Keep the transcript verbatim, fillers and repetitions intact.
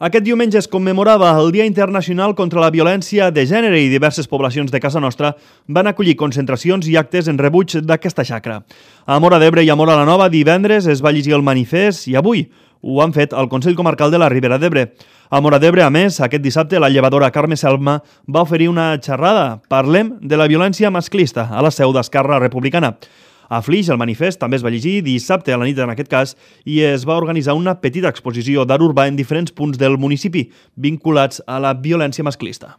Aquest diumenge es commemorava el Dia Internacional contra la Violència de Gènere i diverses poblacions de casa nostra van acollir concentracions i actes en rebuig d'aquesta xacra. A Móra d'Ebre i a Móra la Nova divendres es va llegir el manifest i avui ho han fet al Consell Comarcal de la Ribera d'Ebre. A Móra d'Ebre, a més, aquest dissabte la llevadora Carme Selma va oferir una xerrada. Parlem de la violència masclista a la seu d'Esquerra Republicana. A Flix, el manifest també es va llegir dissabte a la nit en aquest cas i es va organitzar una petita exposició d'art urbà en diferents punts del municipi vinculats a la violència masclista.